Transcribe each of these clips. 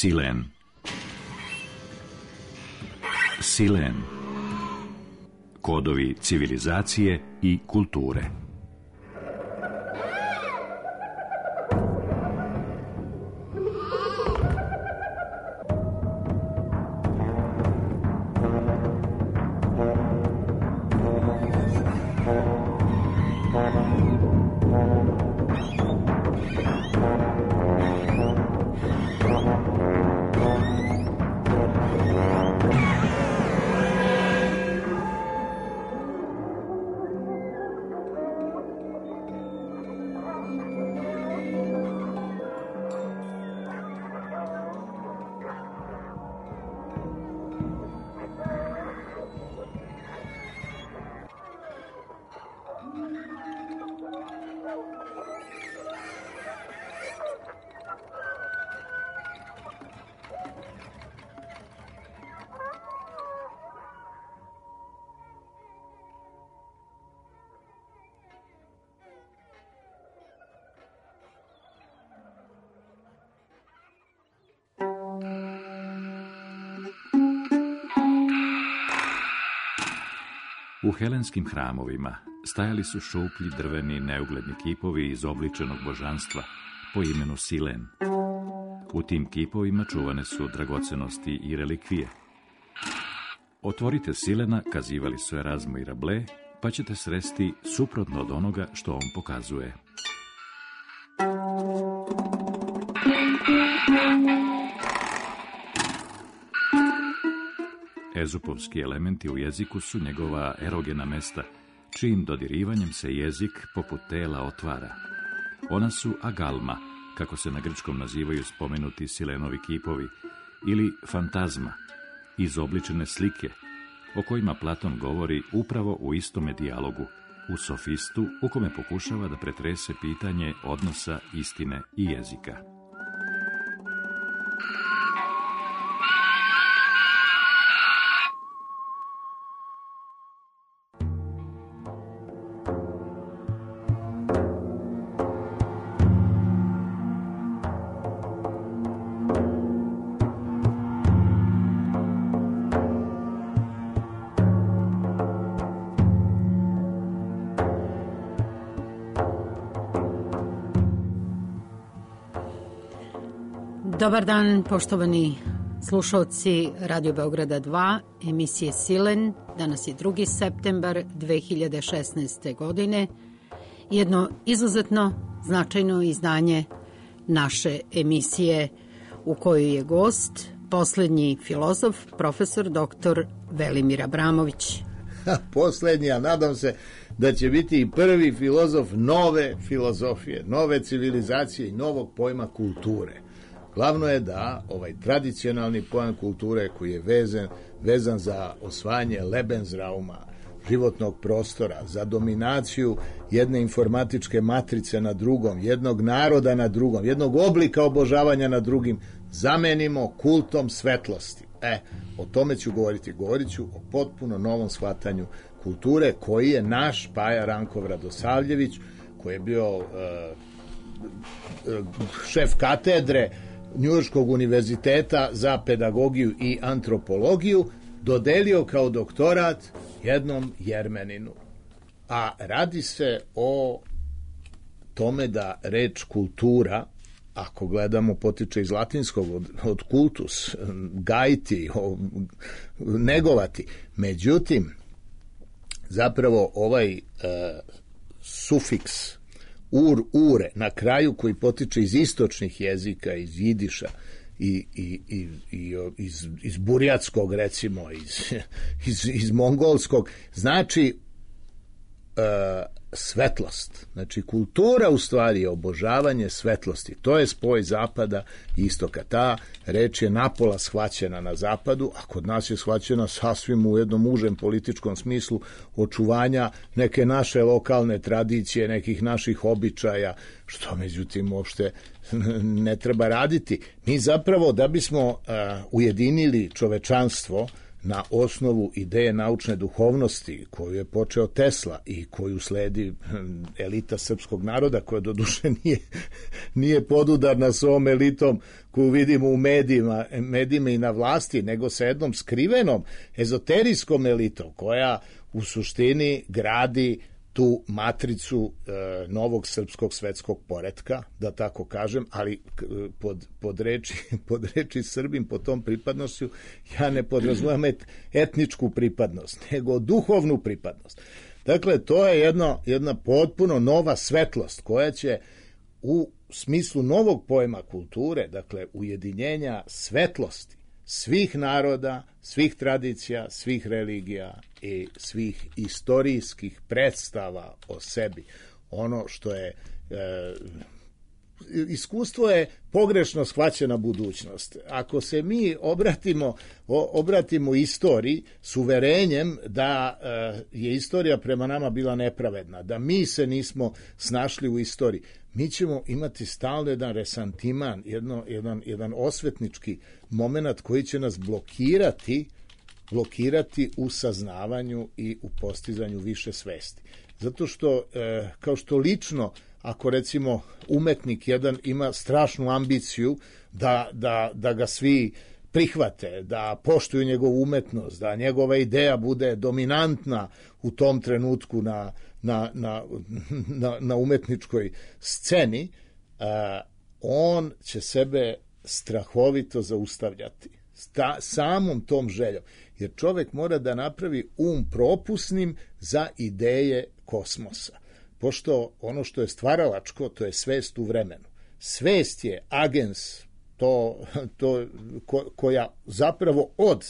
Silen. Silen. Kodovi civilizacije i kulture. U helenskim hramovima stajali su šuplji drveni neugledni kipovi izobličenog božanstva po imenu Silen. U tim kipovima čuvane su dragocenosti i relikvije. Otvorite Silena, kazivali su Erazmo i Rabelais, pa ćete sresti suprotno od onoga što on pokazuje. Ezupovski elementi u jeziku su njegova erogena mesta, čijim dodirivanjem se jezik poput tela otvara. Ona su agalma, kako se na grčkom nazivaju spomenuti Silenovi kipovi, ili fantazma, izobličene slike, o kojima Platon govori upravo u istome dijalogu, u Sofistu, u kome pokušava da pretrese pitanje odnosa istine i jezika. Dobar dan, poštovani slušalci Radio Beograda 2, emisije Silen. Danas je 2. septembar 2016. godine. Jedno izuzetno značajno izdanje naše emisije u kojoj je gost poslednji filozof, profesor dr. Velimir Abramović. Poslednji, a nadam se da će biti i prvi filozof nove filozofije, nove civilizacije i novog pojma kulture. Glavno je da ovaj tradicionalni pojam kulture koji je vezan za osvajanje Lebensrauma, životnog prostora, za dominaciju jedne informatičke matrice na drugom, jednog naroda na drugom, jednog oblika obožavanja na drugim, zamenimo kultom svetlosti. O tome ću govoriti. Govorit ću o potpuno novom shvatanju kulture koji je naš Paja Rankov Radosavljević, koji je bio šef katedre Njujorškog univerziteta za pedagogiju i antropologiju, dodelio kao doktorat jednom Jermeninu. A radi se o tome da reč kultura, ako gledamo, potiče iz latinskog od kultus, gajiti, negovati. Međutim, zapravo ovaj sufiks ure na kraju, koji potiče iz istočnih jezika, iz jidiša i iz burjatskog, recimo, iz mongolskog, znači svetlost. Znači, kultura u stvari je obožavanje svetlosti. To je spoj zapada i istoka. Ta reč je napola shvaćena na zapadu, a kod nas je shvaćena sasvim u jednom užem političkom smislu očuvanja neke naše lokalne tradicije, nekih naših običaja, što međutim uopšte ne treba raditi. Mi zapravo, da bismo ujedinili čovečanstvo, na osnovu ideje naučne duhovnosti koju je počeo Tesla i koju sledi elita srpskog naroda, koja doduše nije podudarna s ovom elitom koju vidimo u medijima i na vlasti, nego sa jednom skrivenom ezoterijskom elitom koja u suštini gradi tu matricu novog srpskog svetskog poretka, da tako kažem, ali pod reči Srbim, pod tom pripadnošću, ja ne podrazumijem etničku pripadnost, nego duhovnu pripadnost. Dakle, to je jedna potpuno nova svetlost koja će u smislu novog pojma kulture, dakle, ujedinjenja svetlosti svih naroda, svih tradicija, svih religija i svih istorijskih predstava o sebi. Ono što je iskustvo je pogrešno shvaćena budućnost. Ako se mi obratimo istoriji s uverenjem da je istorija prema nama bila nepravedna, da mi se nismo snašli u istoriji, mi ćemo imati stalno jedan resantiman, jedan osvetnički moment koji će nas blokirati u saznavanju i u postizanju više svesti. Zato što, kao što lično, ako recimo umetnik jedan ima strašnu ambiciju da ga svi prihvate, da poštuju njegovu umetnost, da njegova ideja bude dominantna u tom trenutku na umetničkoj sceni, on će sebe strahovito zaustavljati samom tom željom. Jer čovjek mora da napravi propusnim za ideje kosmosa. Pošto ono što je stvaralačko, to je svest u vremenu. Svest je agens koja zapravo od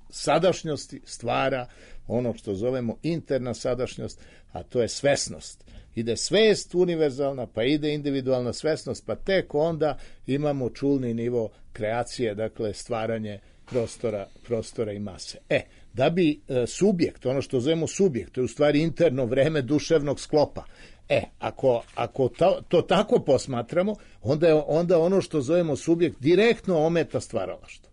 sadašnjosti stvara ono što zovemo interna sadašnjost, a to je svesnost. Ide svest univerzalna, pa ide individualna svesnost, pa tek onda imamo čulni nivo kreacije, dakle stvaranje prostora i mase. Da bi subjekt, ono što zovemo subjekt, to je u stvari interno vreme duševnog sklopa. Ako to tako posmatramo, onda ono što zovemo subjekt direktno ometa stvaralaštvo.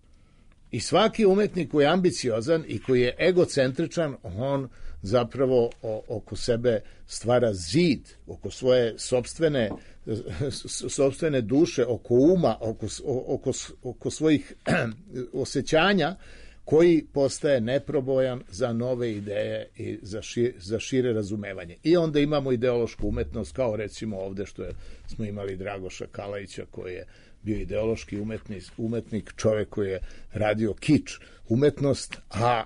I svaki umetnik koji je ambiciozan i koji je egocentričan, on zapravo oko sebe stvara zid, oko svoje sopstvene duše, oko uma, oko svojih osjećanja, koji postaje neprobojan za nove ideje i za šire razumevanje. I onda imamo ideološku umetnost, kao recimo ovde što smo imali Dragoša Kalajića, koji je bio ideološki umetnik, čovjek koji je radio kič umetnost, a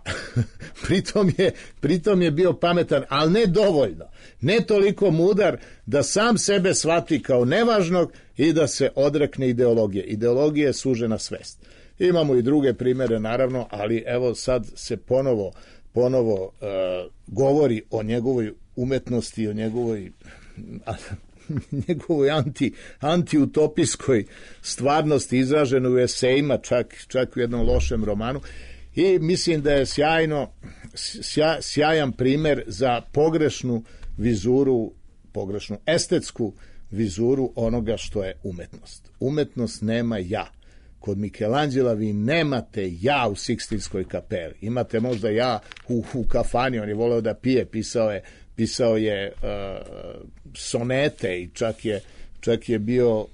pritom je bio pametan, ali ne dovoljno, ne toliko mudar da sam sebe shvati kao nevažnog i da se odrekne ideologije. Ideologija je sužena svest. Imamo i druge primere, naravno, ali evo sad se ponovo govori o njegovoj umetnosti, o njegovoj antiutopijskoj stvarnosti izraženoj u esejima, čak u jednom lošem romanu. I mislim da je sjajan primer za pogrešnu vizuru, pogrešnu estetsku vizuru onoga što je umetnost. Umetnost nema ja. Kod Michelangela vi nemate ja u Sikstinskoj kapeli. Imate možda ja u kafani, on je voleo da pije, pisao je sonete i čak je bio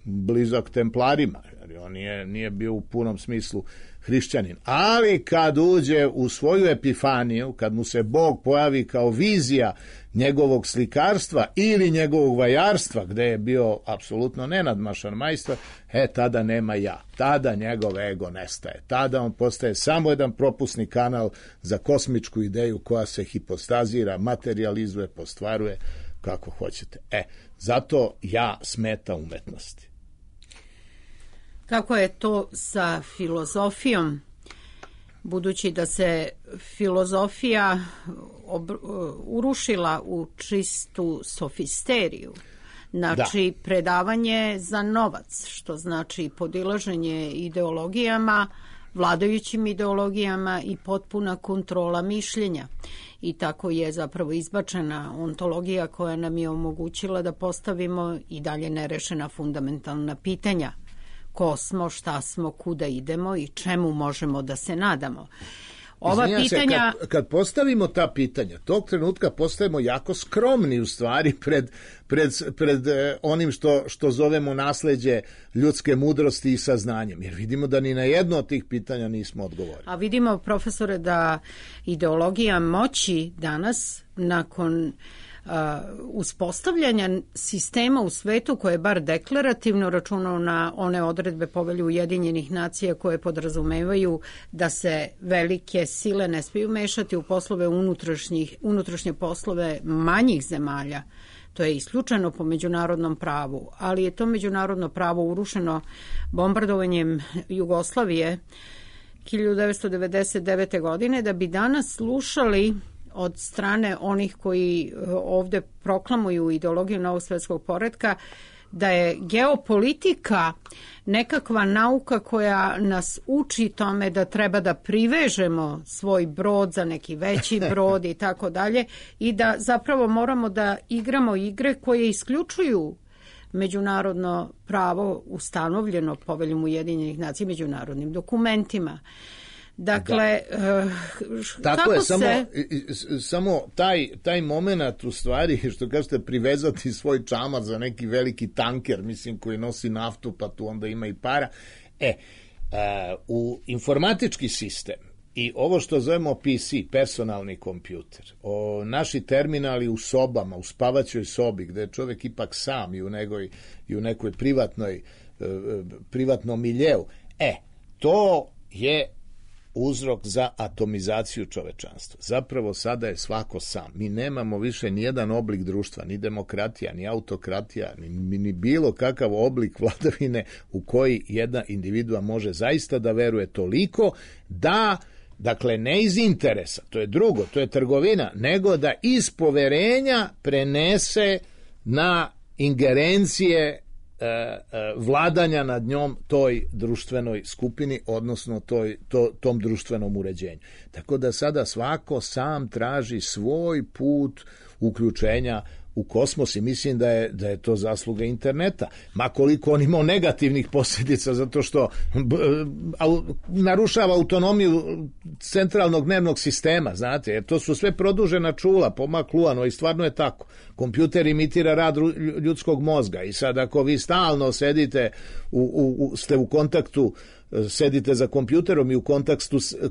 blizak templarima. On nije bio u punom smislu hrišćanin. Ali kad uđe u svoju epifaniju, kad mu se Bog pojavi kao vizija njegovog slikarstva ili njegovog vajarstva, gde je bio apsolutno nenadmašan majstor, tada nema ja. Tada njegov ego nestaje. Tada on postaje samo jedan propusni kanal za kosmičku ideju koja se hipostazira, materializuje, postvaruje, kako hoćete. Zato ja smeta umetnosti. Kako je to sa filozofijom? Budući da se filozofija urušila u čistu sofisteriju, znači predavanje za novac, što znači podilaženje ideologijama, vladajućim ideologijama i potpuna kontrola mišljenja. I tako je zapravo izbačena ontologija koja nam je omogućila da postavimo i dalje nerešena fundamentalna pitanja. ko smo, šta smo, kuda idemo i čemu možemo da se nadamo. Ova pitanja... Kad postavimo ta pitanja, tog trenutka postajemo jako skromni u stvari pred onim što zovemo nasleđe ljudske mudrosti i saznanjem, jer vidimo da ni na jedno od tih pitanja nismo odgovorili. A vidimo, profesore, da ideologija moći danas, nakon uspostavljanja sistema u svetu koje je bar deklarativno računao na one odredbe Povelje Ujedinjenih nacija koje podrazumevaju da se velike sile ne smiju mešati u poslove unutrašnje poslove manjih zemalja. To je isključeno po međunarodnom pravu, ali je to međunarodno pravo urušeno bombardovanjem Jugoslavije 1999. godine, da bi danas slušali od strane onih koji ovde proklamuju ideologiju novog svetskog poretka, da je geopolitika nekakva nauka koja nas uči tome da treba da privežemo svoj brod za neki veći brod i tako dalje, i da zapravo moramo da igramo igre koje isključuju međunarodno pravo ustanovljeno Poveljom Ujedinjenih nacija, međunarodnim dokumentima. Dakle, tako je, samo taj moment u stvari, što kažete, privezati svoj čamac za neki veliki tanker, mislim, koji nosi naftu, pa tu onda ima i para. U informatički sistem i ovo što zovemo PC, personalni kompjuter, naši terminali u sobama, u spavaćoj sobi, gde je čovjek ipak sam i u nekoj privatnom miljeu, to je uzrok za atomizaciju čovečanstva. Zapravo sada je svako sam. Mi nemamo više nijedan oblik društva, ni demokratija, ni autokratija, ni bilo kakav oblik vladavine u koji jedna individua može zaista da veruje toliko da, dakle, ne iz interesa, to je drugo, to je trgovina, nego da iz poverenja prenese na ingerencije vladanja nad njom toj društvenoj skupini, odnosno tom društvenom uređenju. Tako da sada svako sam traži svoj put uključenja u kosmos i mislim da je to zasluga interneta. Ma koliko on imao negativnih posljedica, zato što narušava autonomiju centralnog nervnog sistema, znate, jer to su sve produžena čula, pomakluvano, i stvarno je tako. Kompjuter imitira rad ljudskog mozga i sad ako vi stalno sedite, ste u kontaktu, sedite za kompjuterom i u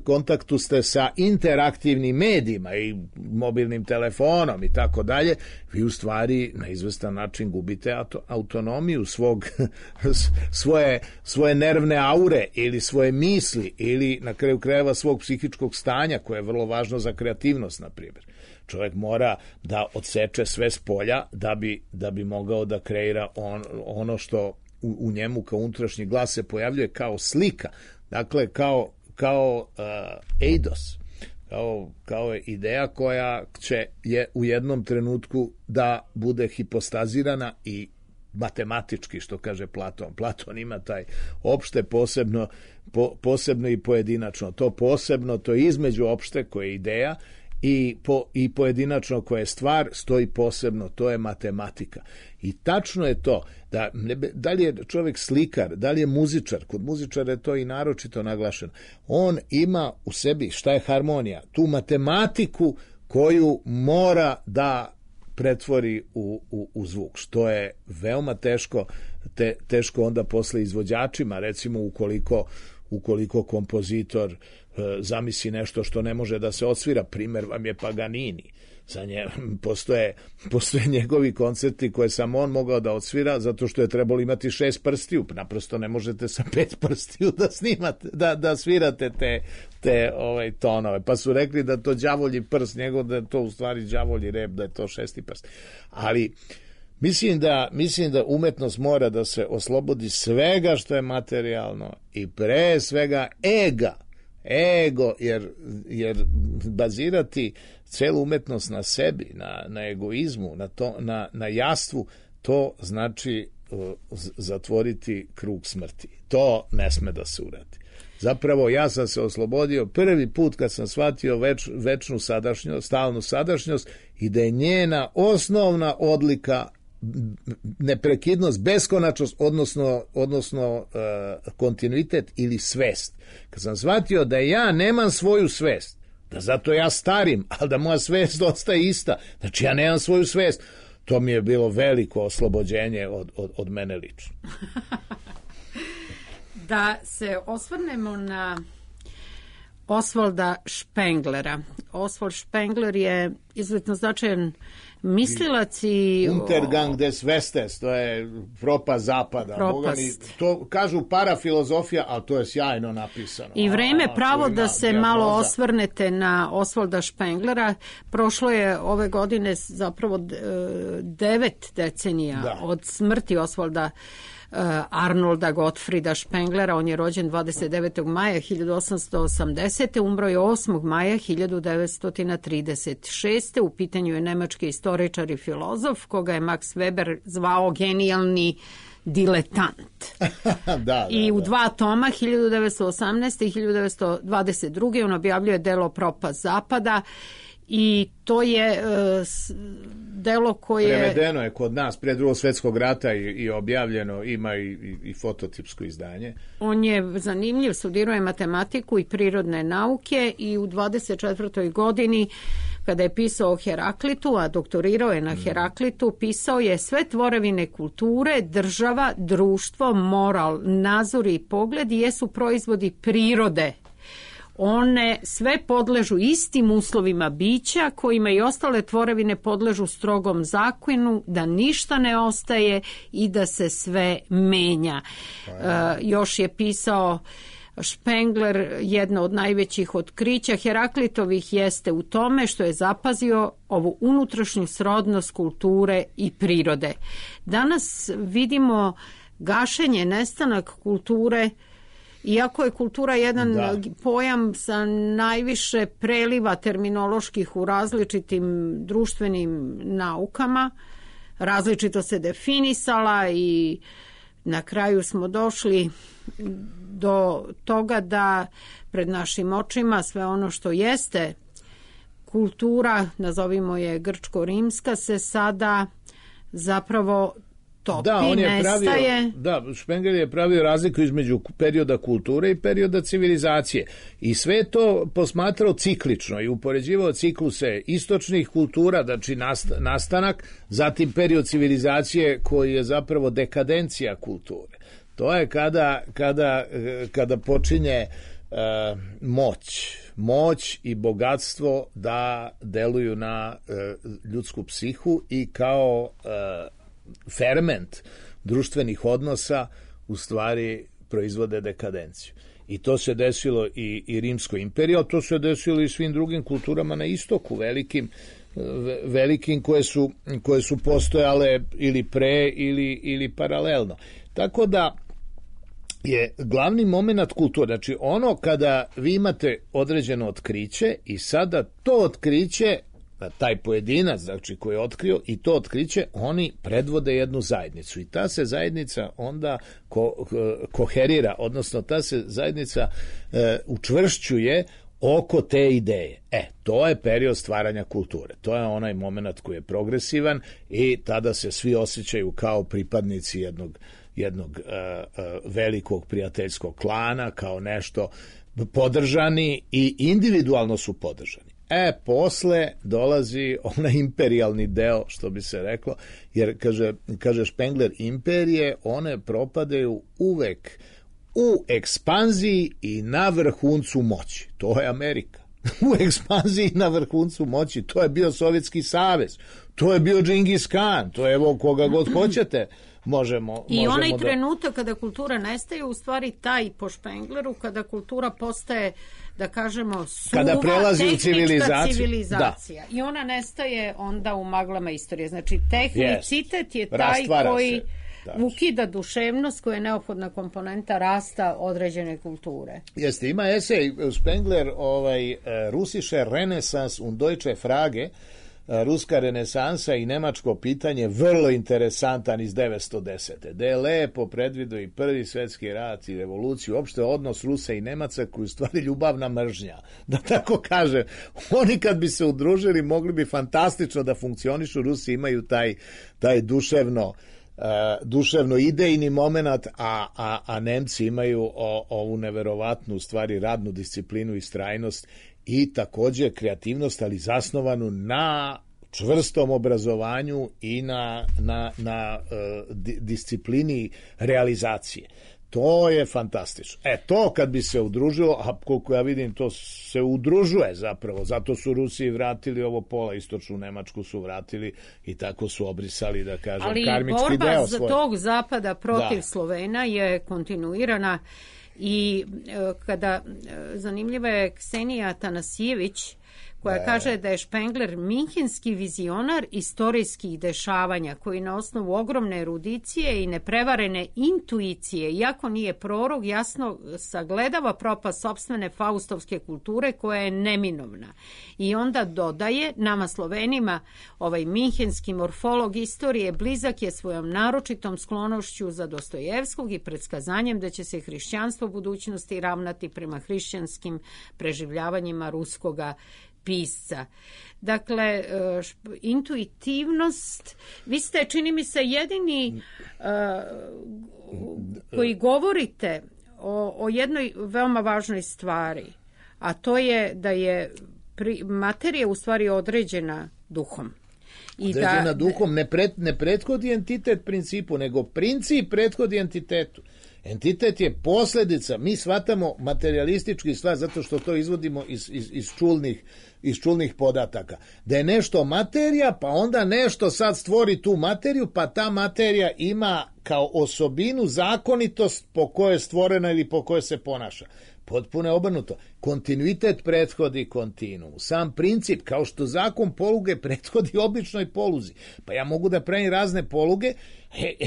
kontaktu ste sa interaktivnim medijima i mobilnim telefonom i tako dalje, vi u stvari na izvestan način gubite autonomiju svoje nervne aure ili svoje misli ili na kraju krajeva svog psihičkog stanja, koje je vrlo važno za kreativnost, na primjer. Čovjek mora da odseče sve s polja da bi mogao da kreira ono što u njemu kao unutrašnji glas se pojavljuje kao slika, dakle kao eidos, kao ideja koja je u jednom trenutku da bude hipostazirana i matematički, što kaže Platon. Platon ima taj opšte, posebno i pojedinačno. To posebno, to je između opšte koje je ideja i pojedinačno koje je stvar, stoji posebno, to je matematika. I tačno je to da li je čovjek slikar, da li je muzičar, kod muzičara je to i naročito naglašeno, on ima u sebi, šta je harmonija, tu matematiku koju mora da pretvori u zvuk, što je veoma teško onda posle izvođačima, recimo ukoliko kompozitor zamisli nešto što ne može da se odsvira. Primer vam je Paganini. Za postoje njegovi koncerti koje sam on mogao da odsvira zato što je trebalo imati 6 prstiju. Naprosto ne možete sa 5 prstiju da snimate, da svirate te tonove. Pa su rekli da to đavolji prst, njegov da je to u stvari đavolji rep, da je to 6. prst. Ali mislim da umetnost mora da se oslobodi svega što je materijalno i pre svega ego, jer bazirati celu umetnost na sebi, na egoizmu, na jastvu, to znači zatvoriti krug smrti. To ne sme da se uradi. Zapravo ja sam se oslobodio prvi put kad sam shvatio večnu sadašnjost, stalnu sadašnjost i da je njena osnovna odlika neprekidnost, beskonačnost, odnosno kontinuitet ili svest. Kad sam shvatio da ja nemam svoju svest, da zato ja starim, ali da moja svest ostaje ista, znači ja nemam svoju svest, to mi je bilo veliko oslobođenje od mene lično. Da se osvrnemo na Osvalda Špenglera. Osvald Špengler je izuzetno značajan mislilac i... Untergang des Westes, to je propast zapada. Propast. To kažu parafilozofija, ali to je sjajno napisano. I vreme pravo da se malo osvrnete na Osvalda Špenglera. Prošlo je ove godine zapravo 9 decenija od smrti Osvalda Arnolda Gottfrieda Špenglera. On je rođen 29. maja 1880. Umro je 8. maja 1936. U pitanju je nemački istoričar i filozof koga je Max Weber zvao genijalni diletant. I u 2 toma 1918. i 1922. on objavljuje delo Propast zapada i to je delo koje... Prevedeno je kod nas pre Drugog svjetskog rata i objavljeno, ima i fototipsko izdanje. On je zanimljiv, studirao je matematiku i prirodne nauke i u 24. godini kada je pisao o Heraklitu, a doktorirao je na Heraklitu, pisao je sve tvorevine kulture, država, društvo, moral, nazori i pogledi jesu proizvodi prirode. One sve podležu istim uslovima bića kojima i ostale tvorevine podležu strogom zakonu, da ništa ne ostaje i da se sve menja. Još je pisao Špengler, jedno od najvećih otkrića Heraklitovih jeste u tome što je zapazio ovu unutrašnju srodnost kulture i prirode. Danas vidimo gašenje, nestanak kulture. Iako je kultura jedan pojam sa najviše preliva terminoloških u različitim društvenim naukama, različito se definisala i na kraju smo došli do toga da pred našim očima sve ono što jeste kultura, nazovimo je grčko-rimska, se sada zapravo topi, nestaje. Špengler je pravio razliku između perioda kulture i perioda civilizacije. I sve to posmatrao ciklično i upoređivao cikluse istočnih kultura, znači nastanak, zatim period civilizacije koji je zapravo dekadencija kulture. To je kada počinje moć i bogatstvo da deluju na ljudsku psihu i kao ferment društvenih odnosa u stvari proizvode dekadenciju. I to se desilo i Rimskoj imperiji, a to se desilo i svim drugim kulturama na istoku, velikim koje su postojale ili pre ili paralelno. Tako da je glavni moment kulture, znači ono kada vi imate određeno otkriće i sada to otkriće, taj pojedinac, znači koji je otkrio i to otkriće, oni predvode jednu zajednicu i ta se zajednica onda koherira, odnosno ta se zajednica učvršćuje oko te ideje. To je period stvaranja kulture. To je onaj moment koji je progresivan i tada se svi osjećaju kao pripadnici jednog velikog prijateljskog klana, kao nešto podržani i individualno su podržani. Posle dolazi onaj imperijalni deo, što bi se reklo, jer kaže Špengler, imperije, one propadaju uvek u ekspanziji i na vrhuncu moći. To je Amerika. U ekspanziji i na vrhuncu moći. To je bio Sovjetski savez. To je bio Džingis Kan. To je evo koga god hoćete. Možemo onaj trenutak kada kultura nestaje, u stvari taj po Špengleru, kada kultura postaje, da kažemo, suva, kada prelazi u civilizacija. I ona nestaje onda u maglama istorije. Znači, tehnicitet je taj koji ukida duševnost koja je neophodna komponenta rasta određene kulture. Jeste, ima esej Spengler, Russische Renaissance und Deutsche Frage, ruska renesansa i nemačko pitanje vrlo interesantan iz 910. Da je lepo predvidio i Prvi svjetski rat i revoluciju, uopšte odnos Rusa i Nemaca koji u stvari ljubavna mržnja, da tako kažem. Oni kad bi se udružili mogli bi fantastično da funkcionišu. Rusi imaju taj duševno idejni moment, a Nemci imaju ovu neverovatnu u stvari radnu disciplinu i strajnost i takođe kreativnost, ali zasnovanu na čvrstom obrazovanju i na disciplini realizacije. To je fantastično. To kad bi se udružilo, a koliko ja vidim to se udružuje zapravo, zato su Rusi vratili ovo pola, istočnu Nemačku su vratili i tako su obrisali, da kažem, karmički deo svoj. Ali borba za tog zapada protiv Slovena je kontinuirana i zanimljiva je Ksenija Tanasijević koja kaže da je Špengler minhenski vizionar istorijskih dešavanja koji na osnovu ogromne erudicije i neprevarene intuicije, iako nije prorok, jasno sagledava propast sopstvene faustovske kulture koja je neminovna. I onda dodaje, nama Slovenima, ovaj minhenski morfolog istorije blizak je svojom naročitom sklonošću za Dostojevskog i predskazanjem da će se hrišćanstvo u budućnosti ravnati prema hrišćanskim preživljavanjima ruskoga pisca. Dakle, intuitivnost, vi ste, čini mi se, jedini koji govorite o jednoj veoma važnoj stvari, a to je da je materija u stvari određena duhom. Određena duhom ne prethodi entitet principu, nego princip prethodi entitetu. Entitet je posljedica, mi shvatamo materialistički stvar zato što to izvodimo iz čulnih podataka. Da je nešto materija, pa onda nešto sad stvori tu materiju, pa ta materija ima kao osobinu zakonitost po kojoj je stvorena ili po kojoj se ponaša. Potpuno je obrnuto. Kontinuitet prethodi kontinuum. Sam princip, kao što zakon poluge prethodi običnoj poluzi. Pa ja mogu da pravim razne poluge,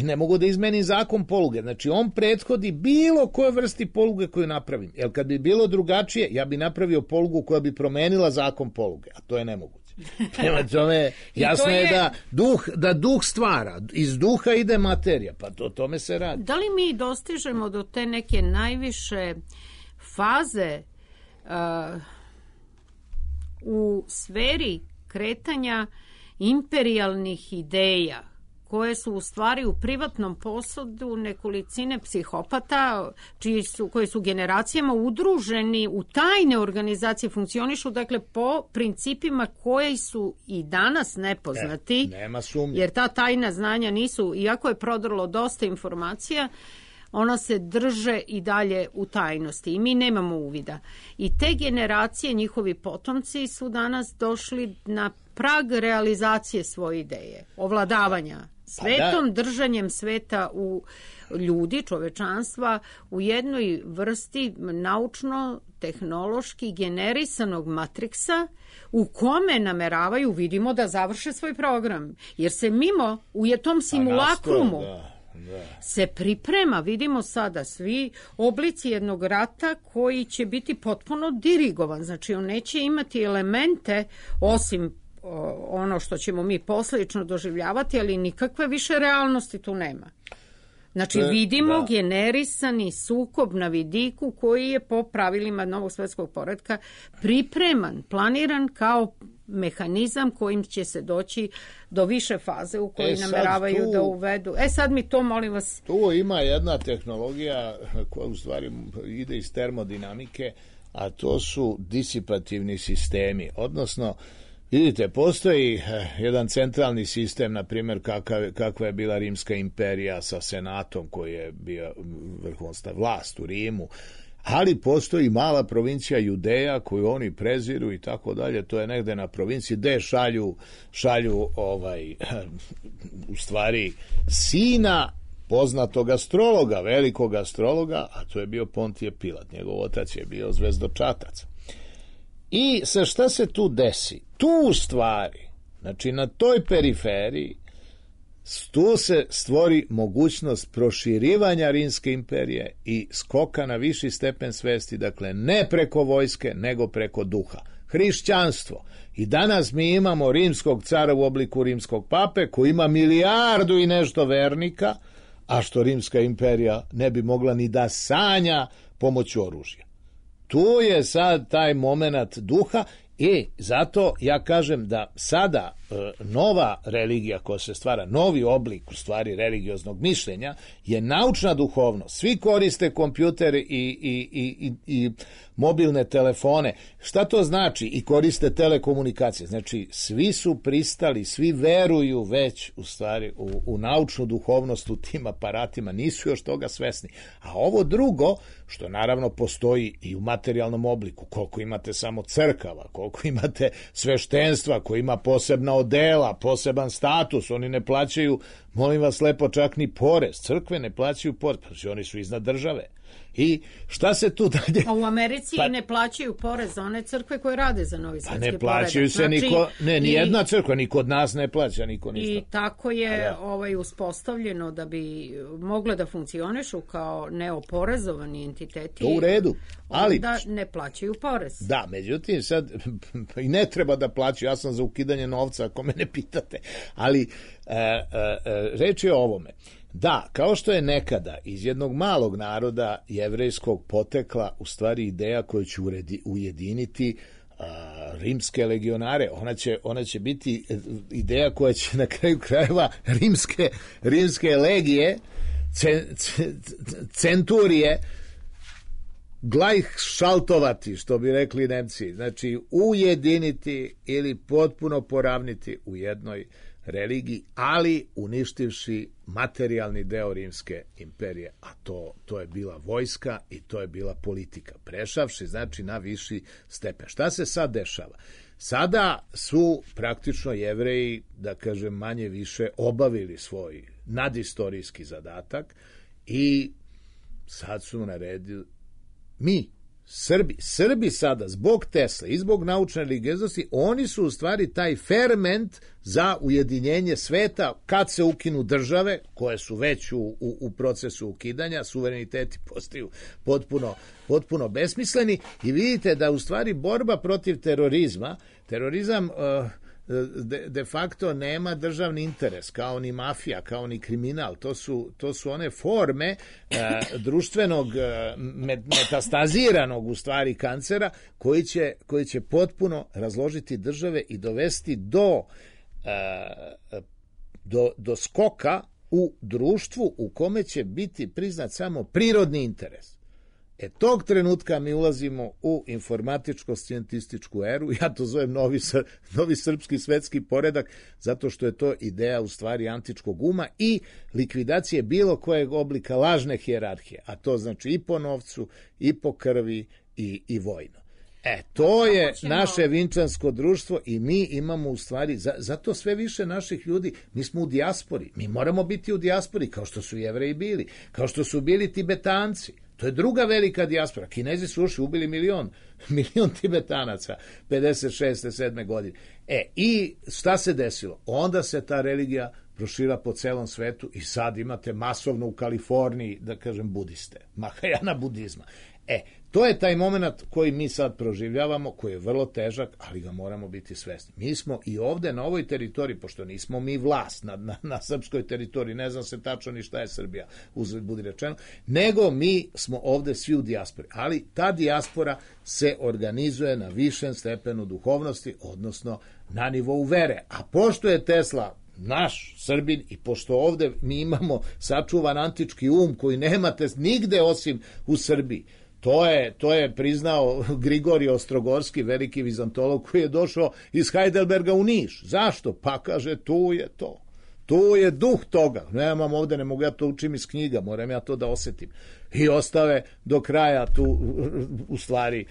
ne mogu da izmenim zakon poluge. Znači, on prethodi bilo koje vrsti poluge koju napravim. Jer kad bi bilo drugačije, ja bi napravio polugu koja bi promenila zakon poluge. A to je nemoguće. Prema tome, jasno je da duh stvara. Iz duha ide materija. Pa to tome se radi. Da li mi dostižemo do te neke najviše faze u sferi kretanja imperijalnih ideja koje su u stvari u privatnom posedu nekolicine psihopata koji su generacijama udruženi u tajne organizacije, funkcionišu dakle po principima koji su i danas nepoznati, nema sumnje. Jer ta tajna znanja nisu, iako je prodrlo dosta informacija, ona se drže i dalje u tajnosti i mi nemamo uvida. I te generacije, njihovi potomci su danas došli na prag realizacije svoje ideje, ovladavanja svetom, držanjem sveta u ljudi, čovečanstva, u jednoj vrsti naučno-tehnološki generisanog matriksa u kome nameravaju, vidimo, da završe svoj program. Jer se mimo u tom simulakrumu se priprema, vidimo sada, svi oblici jednog rata koji će biti potpuno dirigovan. Znači, on neće imati elemente, osim ono što ćemo mi posljedično doživljavati, ali nikakve više realnosti tu nema. Znači, vidimo generisani sukob na vidiku koji je po pravilima novog svjetskog poretka pripreman, planiran kao mehanizam kojim će se doći do više faze u kojoj nameravaju da uvedu. Sad mi to, molim vas. Tu ima jedna tehnologija koja u stvari ide iz termodinamike, a to su disipativni sistemi. Odnosno, vidite, postoji jedan centralni sistem, na primjer kakva je bila Rimska imperija sa senatom koji je bio vrhovna vlast u Rimu, ali postoji mala provincija Judeja koju oni preziru i tako dalje. To je negde na provinciji gde šalju u stvari sina poznatog astrologa, velikog astrologa, a to je bio Pontije Pilat. Njegov otac je bio zvezdočatac. I šta se tu desi? Tu u stvari, znači na toj periferiji, tu se stvori mogućnost proširivanja Rimske imperije i skoka na viši stepen svesti, dakle ne preko vojske, nego preko duha. Hrišćanstvo. I danas mi imamo rimskog cara u obliku rimskog pape koji ima 1 milijardu i nešto vernika, a što Rimska imperija ne bi mogla ni da sanja pomoću oružja. Tu je sad taj moment duha i zato ja kažem da sada nova religija koja se stvara, novi oblik u stvari religioznog mišljenja je naučna duhovnost. Svi koriste kompjuter i mobilne telefone. Šta to znači? I koriste telekomunikacije. Znači, svi su pristali, svi veruju već u stvari u naučnu duhovnost u tim aparatima, nisu još toga svesni. A ovo drugo, što naravno postoji i u materijalnom obliku, koliko imate samo crkava, koliko imate sveštenstva koji ima posebna odela, poseban status, oni ne plaćaju, molim vas lepo, čak ni porez. Crkve ne plaćaju porez, pa oni su iznad države. I šta se tu dalje... A u Americi ne plaćaju porez za one crkve koje rade za Novi svetski poredak. Ne plaćaju se niko, ni jedna crkva, ni kod nas ne plaća, niko ništa. I tako je uspostavljeno da bi mogle da funkcionišu kao neoporezovani entiteti. To u redu, ali... Onda ne plaćaju porez. Da, međutim, sad i ne treba da plaćaju, ja sam za ukidanje novca, ako me ne pitate, ali reč je o ovome. Da, kao što je nekada iz jednog malog naroda jevrejskog potekla u stvari ideja koja će ujediniti rimske legionare, ona će biti ideja koja će na kraju krajeva rimske legije, centurije, glajšaltovati, što bi rekli Nemci, znači ujediniti ili potpuno poravniti u jednoj religiji, ali uništivši materijalni deo Rimske imperije, a to je bila vojska i to je bila politika, prešavši znači na viši stepen. Šta se sad dešava? Sada su praktično Jevreji, da kažem manje više, obavili svoj nadistorijski zadatak i sad su naredili Srbi sada, zbog Tesle i zbog naučne religioznosti, oni su u stvari taj ferment za ujedinjenje sveta kad se ukinu države, koje su već u procesu ukidanja, suvereniteti postaju potpuno besmisleni i vidite da u stvari borba protiv terorizam de facto nema državni interes, kao ni mafija, kao ni kriminal. To su one forme društvenog metastaziranog u stvari kancera koji će potpuno razložiti države i dovesti do skoka u društvu u kome će biti priznat samo prirodni interes. Tog trenutka mi ulazimo u informatičko-scijentističku eru, ja to zovem novi srpski svetski poredak, zato što je to ideja u stvari antičkog uma i likvidacije bilo kojeg oblika lažne hijerarhije, a to znači i po novcu, i po krvi, i vojno. To je naše vinčansko društvo i mi imamo u stvari, zato sve više naših ljudi, mi smo u dijaspori, mi moramo biti u dijaspori kao što su Jevreji bili, kao što su bili Tibetanci. To je druga velika dijaspora. Kinezi su ušli, ubili milion Tibetanaca 56. 7. godine. I šta se desilo? Onda se ta religija prošira po celom svetu i sad imate masovno u Kaliforniji, da kažem, budiste, Mahajana budizma. To je taj moment koji mi sad proživljavamo, koji je vrlo težak, ali ga moramo biti svesni. Mi smo i ovde na ovoj teritoriji, pošto nismo mi vlast na srpskoj teritoriji, ne znam se tačno ni šta je Srbija, uzgled budi rečeno, nego mi smo ovde svi u dijaspori. Ali ta dijaspora se organizuje na višem stepenu duhovnosti, odnosno na nivou vere. A pošto je Tesla naš Srbin i pošto ovde mi imamo sačuvan antički um koji nemate nigde osim u Srbiji, to je priznao Grigorije Ostrogorski, veliki vizantolog koji je došao iz Heidelberga u Niš. Zašto? Pa kaže, tu je to. Tu je duh toga. Nemam ovde, ne mogu ja to učim iz knjiga, moram ja to da osetim. I ostave do kraja tu, u stvari,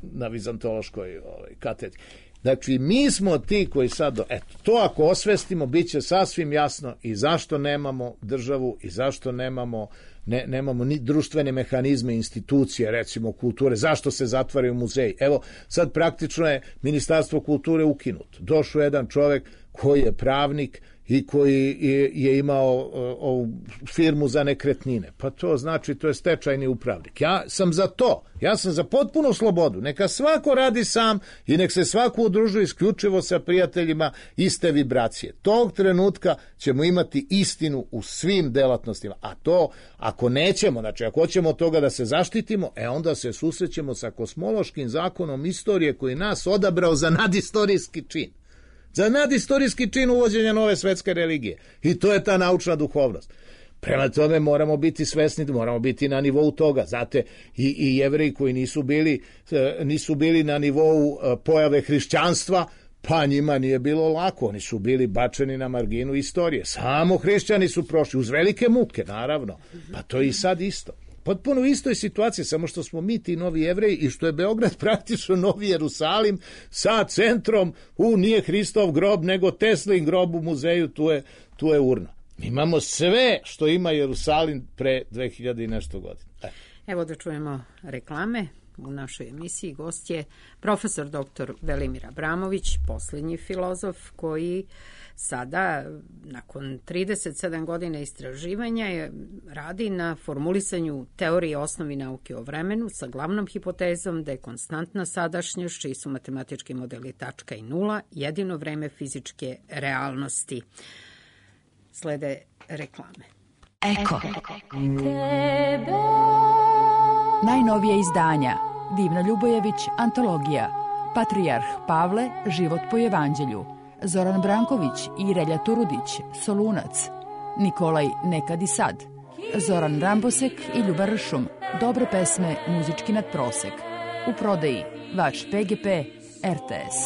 na vizantološkoj katedri. Znači, mi smo ti koji sad, to ako osvestimo, bit će sasvim jasno i zašto nemamo državu i zašto nemamo ni društvene mehanizme, institucije, recimo kulture, zašto se zatvaraju muzeji. Evo, sad praktično je Ministarstvo kulture ukinuto. Došao jedan čovek koji je pravnik i koji je imao ovu firmu za nekretnine. Pa to znači, to je stečajni upravnik. Ja sam za to. Ja sam za potpunu slobodu. Neka svako radi sam i nek se svako udružuje isključivo sa prijateljima iste vibracije. Tog trenutka ćemo imati istinu u svim delatnostima. A to, ako nećemo, znači ako hoćemo od toga da se zaštitimo, onda se susrećemo sa kosmološkim zakonom istorije koji nas odabrao za nadistorijski čin. Za nadistorijski čin uvođenja nove svetske religije. I to je ta naučna duhovnost. Prema tome moramo biti svesni, moramo biti na nivou toga. Znate, i Jevreji koji nisu bili na nivou pojave hrišćanstva, pa njima nije bilo lako. Oni su bili bačeni na marginu istorije. Samo hrišćani su prošli, uz velike muke, naravno. Pa to je i sad isto. Potpuno u istoj situaciji, samo što smo mi ti novi Jevreji i što je Beograd praktično novi Jerusalim sa centrom, nije Hristov grob, nego Teslin grob u muzeju, tu je urna. Mi imamo sve što ima Jerusalim pre 2000 i nešto godina. Evo da čujemo reklame. U našoj emisiji gost je profesor dr. Velimir Abramović, posljednji filozof koji sada, nakon 37 godina istraživanja, radi na formulisanju teorije osnovi nauke o vremenu sa glavnom hipotezom da je konstantna sadašnjost, čiji su matematički modeli tačka i nula, jedino vreme fizičke realnosti. Slede reklame. Eko. Najnovije izdanja. Divna Ljubojević, antologija. Patrijarh Pavle, život po evanđelju. Zoran Branković i Relja Turudić, Solunac. Nikolaj, nekad i sad. Zoran Rambosek i Ljuba Ršum, dobre pesme, muzički nadprosek. U prodaji vaš PGP RTS.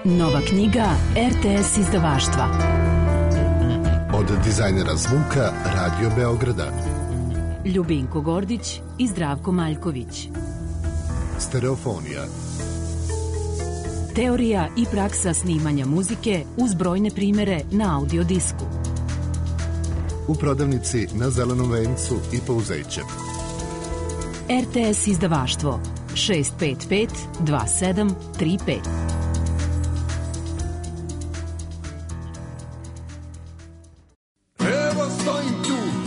Nova knjiga RTS izdavaštva. Od dizajnera zvuka Radio Beograda. Ljubinko Gordić i Zdravko Maljković. Stereofonija. Teorija i praksa snimanja muzike uz brojne primere na audio disku. U prodavnici na Zelenom vencu i Pouzeće. RTS izdavaštvo 655 2735.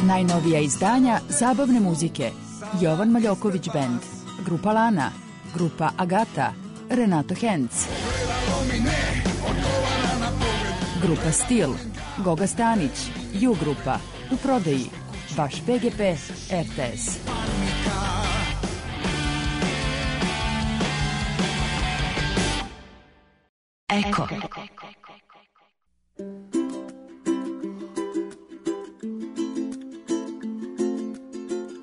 Najnovija izdanja zabavne muzike. Jovan Maljoković Band, grupa Lana, grupa Agata, Renato Henc, grupa Stil, Goga Stanić, Ju grupa, u prodaji vaš PGP RTS. Eko.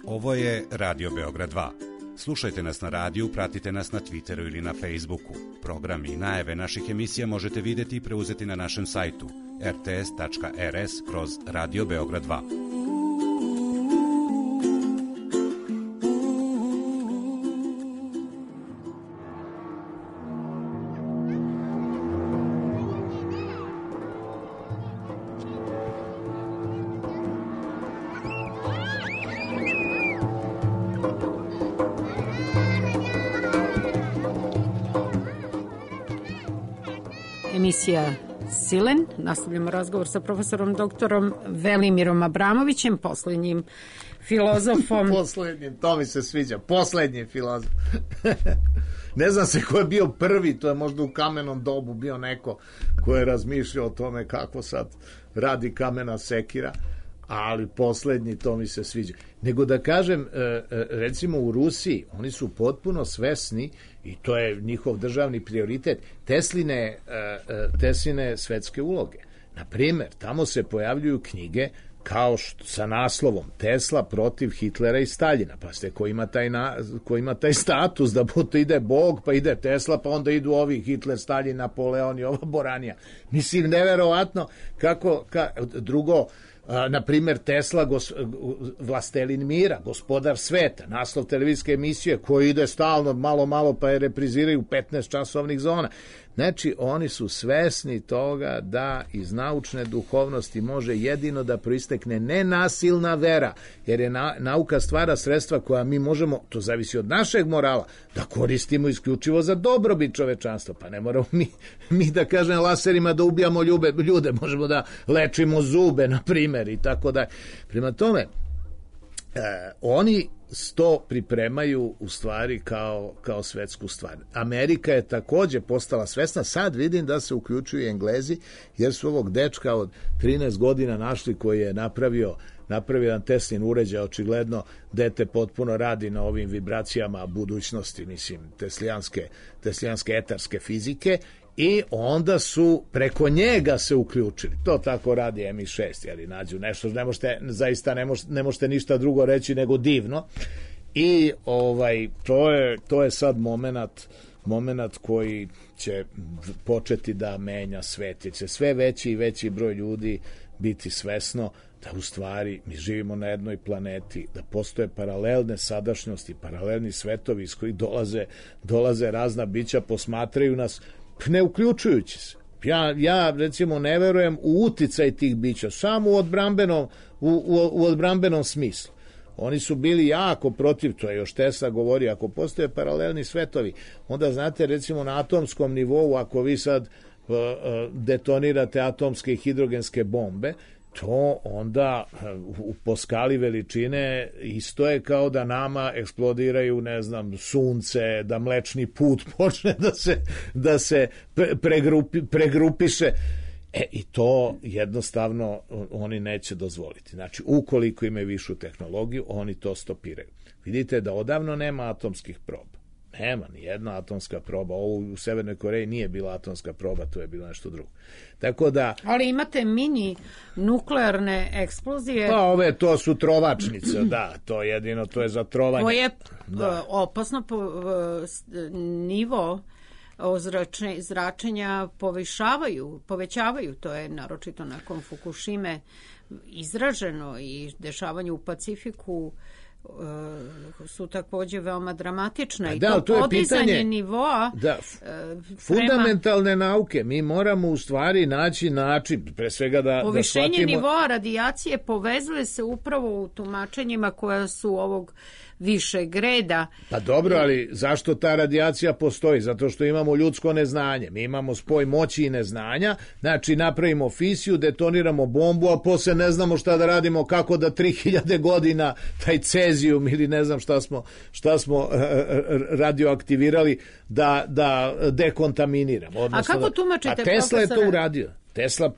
Ovo je Radio Beograd 2. Slušajte nas na radiju, pratite nas na Twitteru ili na Facebooku. Programi i najave naših emisija možete vidjeti i preuzeti na našem sajtu rts.rs/Radio Beograd 2. Emisija Silen. Nastavljamo razgovor sa profesorom doktorom Velimirom Abramovićem, posljednjim filozofom. Posljednjim, to mi se sviđa. Posljednji filozof. Ne znam se ko je bio prvi, to je možda u kamenom dobu bio neko ko je razmišljao o tome kako sad radi kamena sekira, ali posljednji, to mi se sviđa. Nego da kažem, recimo u Rusiji, oni su potpuno svesni, i to je njihov državni prioritet, Tesline svetske uloge. Naprimer, tamo se pojavljuju knjige kao sa naslovom Tesla protiv Hitlera i Staljina. Pa ste, ko ima taj status da ide Bog, pa ide Tesla, pa onda idu ovi Hitler, Staljin, Napoleon i ova Boranija. Mislim, neverovatno drugo, na primjer Tesla, vlastelin mira, gospodar sveta, naslov televizijske emisije koji ide stalno malo pa je repriziraju 15 časovnih zona. Znači, oni su svesni toga da iz naučne duhovnosti može jedino da proistekne nenasilna vera, jer je nauka stvara sredstva koja mi možemo, to zavisi od našeg morala, da koristimo isključivo za dobrobit čovečanstva. Pa ne moramo mi da kažem laserima da ubijamo ljude, možemo da lečimo zube, na primjer, i tako da. Prema tome, oni to pripremaju u stvari kao svetsku stvar. Amerika je takođe postala svesna, sad vidim da se uključuju Englezi, jer su ovog dečka od 13 godina našli koji je napravio jedan Teslin uređaj, očigledno dete potpuno radi na ovim vibracijama budućnosti, mislim, teslijanske etarske fizike, i onda su preko njega se uključili. To tako radi MI6, ali nađu nešto, ne možete ništa drugo reći nego divno. I to je sad moment koji će početi da menja svet, jer će sve veći i veći broj ljudi biti svesno da u stvari mi živimo na jednoj planeti, da postoje paralelne sadašnjosti, paralelni svetovi iz kojih dolaze razna bića, posmatraju nas, ne uključujući se. Ja recimo ne verujem u uticaj tih bića, samo u odbrambenom smislu. Oni su bili jako protiv, to je još Tesla govori, ako postoje paralelni svetovi, onda znate recimo na atomskom nivou, ako vi sad detonirate atomske i hidrogenske bombe, to onda po skali veličine isto je kao da nama eksplodiraju, ne znam, sunce, da Mlečni put počne da se pregrupiše. I to jednostavno oni neće dozvoliti. Znači, ukoliko imaju višu tehnologiju, oni to stopiraju. Vidite da odavno nema atomskih proba. Nema ni jedna atomska proba. Ovo u Severnoj Koreji nije bila atomska proba, to je bilo nešto drugo. Tako da... Ali imate mini nuklearne eksplozije. Pa to su trovačnice, da, to jedino, to je za trovanje. To je opasno nivo zračenja povećavaju, to je naročito nakon Fukushime izraženo, i dešavanje u Pacifiku su takođe veoma dramatična, i to podizanje nivoa fundamentalne nauke. Mi moramo u stvari naći način, pre svega da povišenje nivoa radijacije povezuje se upravo u tumačenjima koja su ovog višeg reda. Pa dobro, ali zašto ta radijacija postoji? Zato što imamo ljudsko neznanje. Mi imamo spoj moći i neznanja, znači napravimo fisiju, detoniramo bombu, a posle ne znamo šta da radimo, kako da 3000 godina taj cezijum ili ne znam šta smo radioaktivirali da dekontaminiramo. Odnosno, a kako tumačite, a Tesla je to uradio. Tesla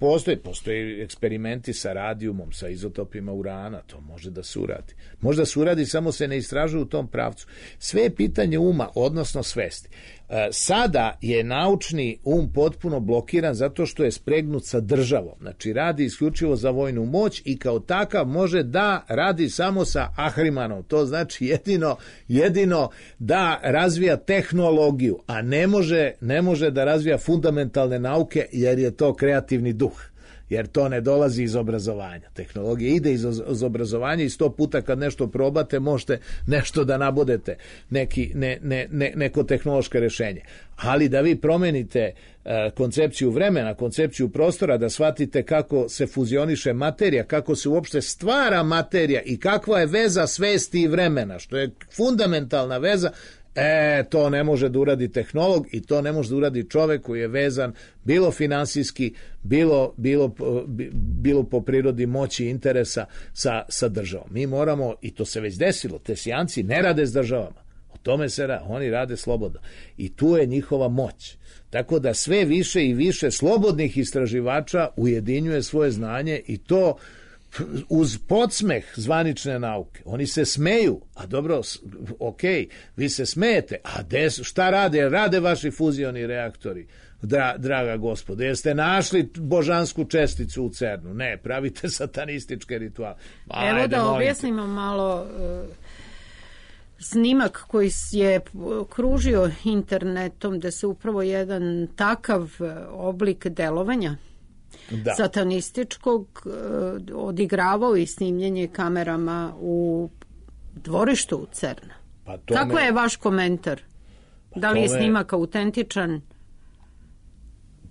postoji eksperimenti sa radijumom, sa izotopima urana, to može da se uradi. Možda se uradi, samo se ne istražuje u tom pravcu. Sve je pitanje uma, odnosno svesti. Sada je naučni potpuno blokiran zato što je spregnut sa državom. Znači, radi isključivo za vojnu moć i kao takav može da radi samo sa Ahrimanom. To znači jedino da razvija tehnologiju, a ne može da razvija fundamentalne nauke, jer je to kreativni duh. Jer to ne dolazi iz obrazovanja. Tehnologija ide iz obrazovanja i 100 puta kad nešto probate možete nešto da nabodete, neko tehnološko rešenje. Ali da vi promenite koncepciju vremena, koncepciju prostora, da shvatite kako se fuzioniše materija, kako se uopšte stvara materija i kakva je veza svesti i vremena, što je fundamentalna veza, to ne može da uradi tehnolog i to ne može da uradi čovek koji je vezan bilo finansijski, bilo po prirodi moći i interesa sa državom. Mi moramo, i to se već desilo, Tesijanci ne rade s državama. O tome se radi, oni rade slobodno. I tu je njihova moć. Tako da sve više i više slobodnih istraživača ujedinjuje svoje znanje, i to uz podsmeh zvanične nauke. Oni se smeju, a dobro, vi se smejete, a šta rade? Rade vaši fuzioni reaktori, draga gospodo. Jeste našli božansku česticu u CERN-u? Ne, pravite satanističke rituale. Evo da objasnimo malo snimak koji je kružio internetom, da se upravo jedan takav oblik delovanja satanističkog odigravao i snimljenje kamerama u dvorištu u CERN-a. Kako je vaš komentar? Da li je snimak autentičan?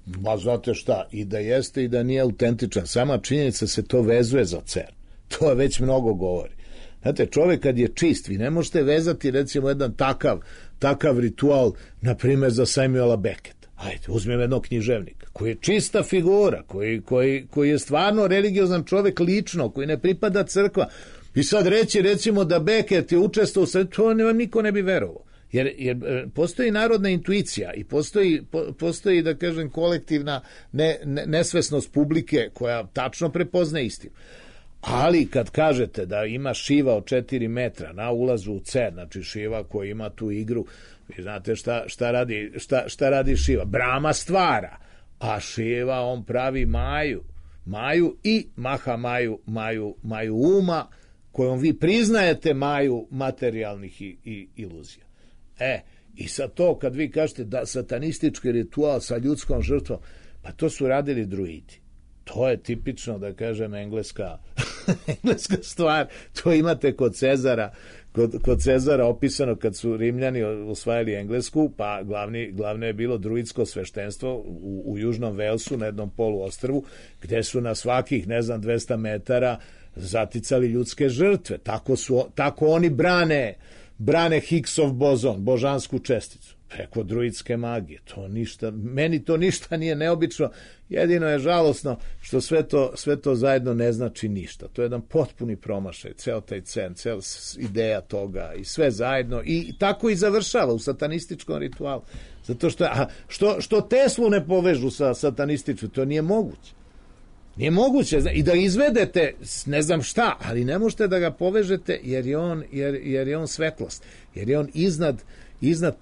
Ma znate šta, i da jeste i da nije autentičan, sama činjenica se to vezuje za CERN. To je već mnogo govori. Znate, čovjek kad je čist, vi ne možete vezati recimo jedan takav ritual, na primjer za Samuela Becketa. Ajde, uzmem jednog književnika, koji je čista figura, koji je stvarno religiozan čovjek lično, koji ne pripada crkva. I sad reći recimo da Beckett je učestvovao, to vam niko ne bi verovao. Jer postoji narodna intuicija i postoji da kažem kolektivna nesvesnost publike koja tačno prepoznaje istinu. Ali kad kažete da ima šiva od 4 metra na ulazu u CERN, znači šiva koja ima tu igru, vi znate šta radi šiva? Brama stvara, a šiva on pravi maju i maha maju uma, kojom vi priznajete maju materijalnih i iluzija. I sad to kad vi kažete da satanistički ritual sa ljudskom žrtvom, pa to su radili druidi. To je tipično, da kažem, engleska stvar. To imate kod Cezara opisano kad su Rimljani osvajali Englesku, pa glavno je bilo druidsko sveštenstvo u Južnom Velsu na jednom poluostrvu, gde su na svakih, 200 metara zaticali ljudske žrtve. Tako oni brane Higgsov bozon, božansku česticu, preko druidske magije. Meni to ništa nije neobično, jedino je žalosno što sve to zajedno ne znači ništa. To je jedan potpuni promašaj, ceo taj CERN, cela ideja toga i sve zajedno, i tako i završava u satanističkom ritualu. Zato što Teslu ne povežu sa satanističkom, to nije moguće. Nije moguće i da izvedete ne znam šta, ali ne možete da ga povežete jer je on svetlost, jer je on iznad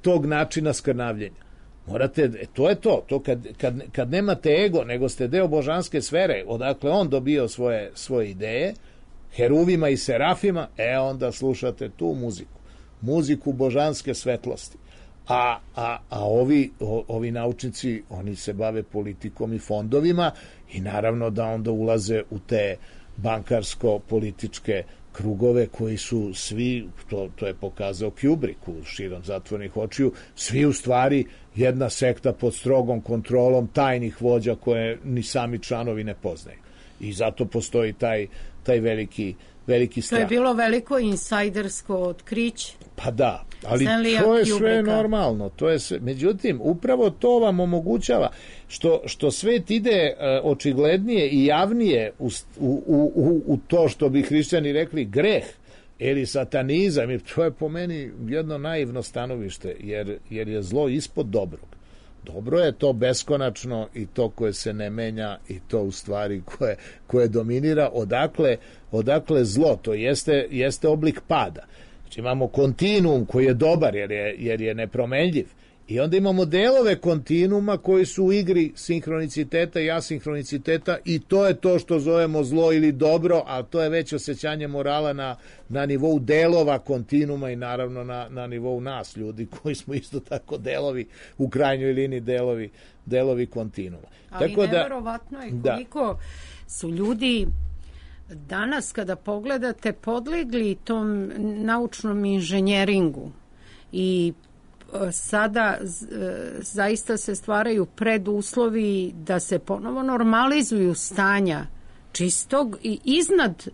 tog načina skrnavljenja. Morate, to je to kad nemate ego, nego ste deo božanske sfere, odakle on dobio svoje ideje, heruvima i serafima, onda slušate tu muziku božanske svetlosti. A ovi naučnici, oni se bave politikom i fondovima i naravno da onda ulaze u te bankarsko-političke krugove koji su svi, to je pokazao Kubrick u Širom zatvorenih očiju, svi u stvari jedna sekta pod strogom kontrolom tajnih vođa koje ni sami članovi ne poznaju. I zato postoji taj veliki strah. To je bilo veliko insajdersko otkriće. Pa da, ali to je sve normalno. Međutim, upravo to vam omogućava što svet ide očiglednije i javnije u to što bi hrišćani rekli greh ili satanizam. To je po meni jedno naivno stanovište, jer je zlo ispod dobrog. Dobro je to beskonačno i to koje se ne menja i to u stvari koje dominira. Odakle zlo? To jeste oblik pada. Znači imamo kontinuum koji je dobar jer je nepromenljiv. I onda imamo delove kontinuuma koji su u igri sinhroniciteta i asinhroniciteta i to je to što zovemo zlo ili dobro, a to je već osjećanje morala na nivou delova kontinuuma i naravno na nivou nas, ljudi koji smo isto tako delovi, u krajnjoj liniji delovi kontinuuma. Ali tako neverovatno je koliko su ljudi danas kada pogledate podlegli tom naučnom inženjeringu i sada zaista se stvaraju preduslovi da se ponovo normalizuju stanja čistog i iznad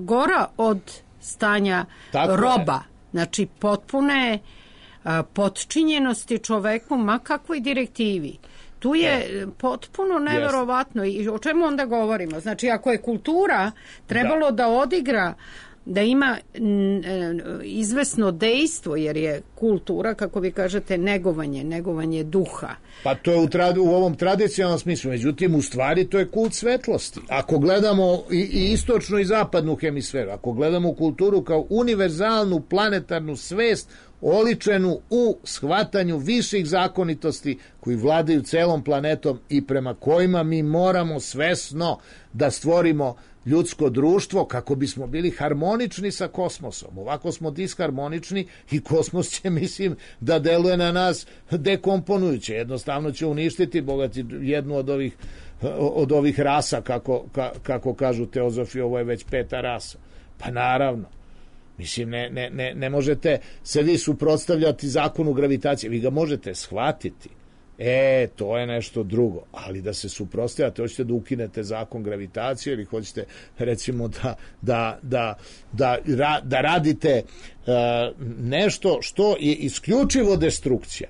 gora od stanja roba. Znači potpune potčinjenosti čoveku ma kakvoj direktivi. Tu je potpuno neverovatno. I o čemu onda govorimo? Znači ako je kultura trebalo da odigra, da ima izvesno dejstvo, jer je kultura, kako vi kažete, negovanje duha. Pa to je u ovom tradicionalnom smislu. Međutim, u stvari to je kult svetlosti. Ako gledamo i istočnu i zapadnu hemisferu, ako gledamo kulturu kao univerzalnu planetarnu svest oličenu u shvatanju viših zakonitosti koji vladaju celom planetom i prema kojima mi moramo svesno da stvorimo ljudsko društvo kako bismo bili harmonični sa kosmosom. Ovako smo disharmonični i kosmos će, mislim, da deluje na nas dekomponujuće. Jednostavno će uništiti jednu od ovih rasa, kako kažu teozofi, ovo je već 5. rasa. Pa naravno. Mislim, ne možete se vi suprotstavljati zakonu gravitacije. Vi ga možete shvatiti. To je nešto drugo. Ali da se suprotstavljate, hoćete da ukinete zakon gravitacije ili hoćete recimo da radite nešto što je isključivo destrukcija.